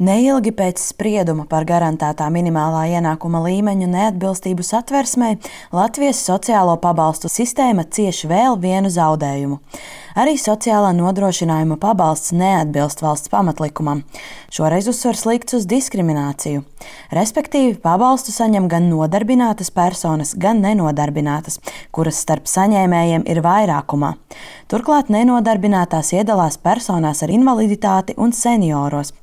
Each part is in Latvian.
Neilgi pēc sprieduma par garantētā minimālā ienākuma līmeņa neatbilstību Satversmei Latvijas sociālo pabalstu sistēma cieš vēl vienu zaudējumu. Arī sociālā nodrošinājuma pabalsts neatbilst valsts pamatlikumam. Šoreiz uzsvars likts uz diskrimināciju. Respektīvi, pabalstu saņem gan nodarbinātas personas, gan nenodarbinātas, kuras starp saņēmējiem ir vairākumā. Turklāt nenodarbinātās iedalās personās ar invaliditāti un senioros.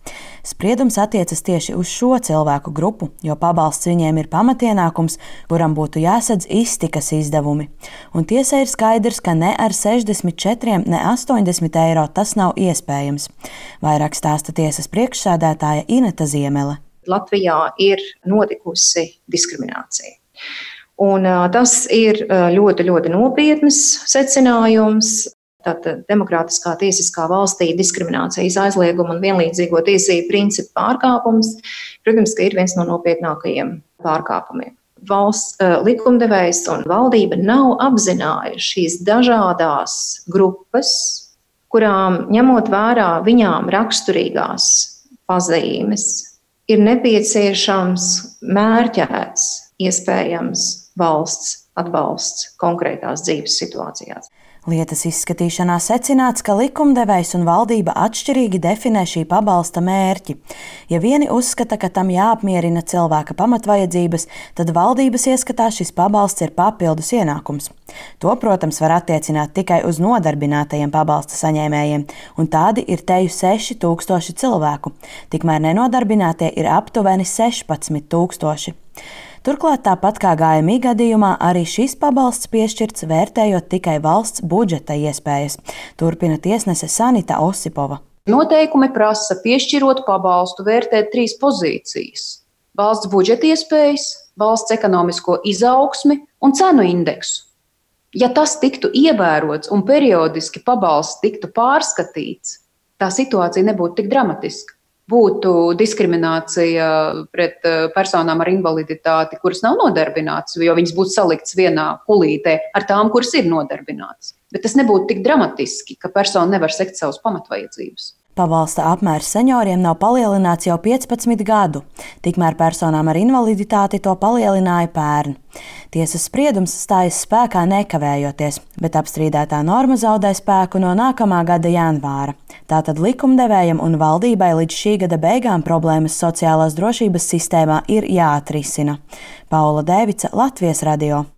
Spriedums attiecas tieši uz šo cilvēku grupu, jo pabalsts viņiem ir pamatienākums, kuram būtu jāsadz iztikas izdevumi. Un tiesai ir skaidrs, ka ne ar 64, ne 80 eiro tas nav iespējams. Vairāk stāsta tiesas priekšsēdētāja Ineta Ziemele. Latvijā ir notikusi diskriminācija. Un tas ir ļoti, ļoti nopietns secinājums. Tātad demokrātiskā tiesiskā valstī diskriminācijas aizlieguma un vienlīdzīgo tiesību principu pārkāpums, protams, ka ir viens no nopietnākajiem pārkāpumiem. Valsts likumdevējs un valdība nav apzinājuši šīs dažādās grupas, kurām, ņemot vērā viņām raksturīgās pazīmes, ir nepieciešams mērķēts, iespējams valsts atbalsts konkrētās dzīves situācijās. Lietas izskatīšanā secināts, ka likumdevējs un valdība atšķirīgi definē šī pabalsta mērķi. Ja vieni uzskata, ka tam jāapmierina cilvēka pamatvajadzības, tad valdības ieskatā šis pabalsts ir papildus ienākums. To, protams, var attiecināt tikai uz nodarbinātajiem pabalsta saņēmējiem, un tādi ir teju 6000 cilvēku. Tikmēr nenodarbinātie ir aptuveni 16 000. Turklāt, tāpat kā GMI gadījumā, arī šis pabalsts piešķirts vērtējot tikai valsts budžeta iespējas, turpina tiesnese Sanita Osipova. Noteikumi prasa piešķirot pabalstu vērtēt 3 pozīcijas – valsts budžeta iespējas, valsts ekonomisko izaugsmi un cenu indeksu. Ja tas tiktu ievērots un periodiski pabalsts tiktu pārskatīts, tā situācija nebūtu tik dramatiska. Būtu diskriminācija pret personām ar invaliditāti, kuras nav nodarbinātas, jo viņas būtu saliktas vienā kulītē ar tām, kuras ir nodarbinātas. Bet tas nebūtu tik dramatiski, ka persona nevar sekt savas pamatvajadzības. Pabalsta apmērs senioriem nav palielināts jau 15 gadu, tikmēr personām ar invaliditāti to palielināja pērn. Tiesas spriedums stājas spēkā nekavējoties, bet apstrīdētā norma zaudē spēku no nākamā gada janvāra. Tātad likumdevējam un valdībai līdz šī gada beigām problēmas sociālās drošības sistēmā ir jāatrisina. Paula Dēvica, Latvijas radio.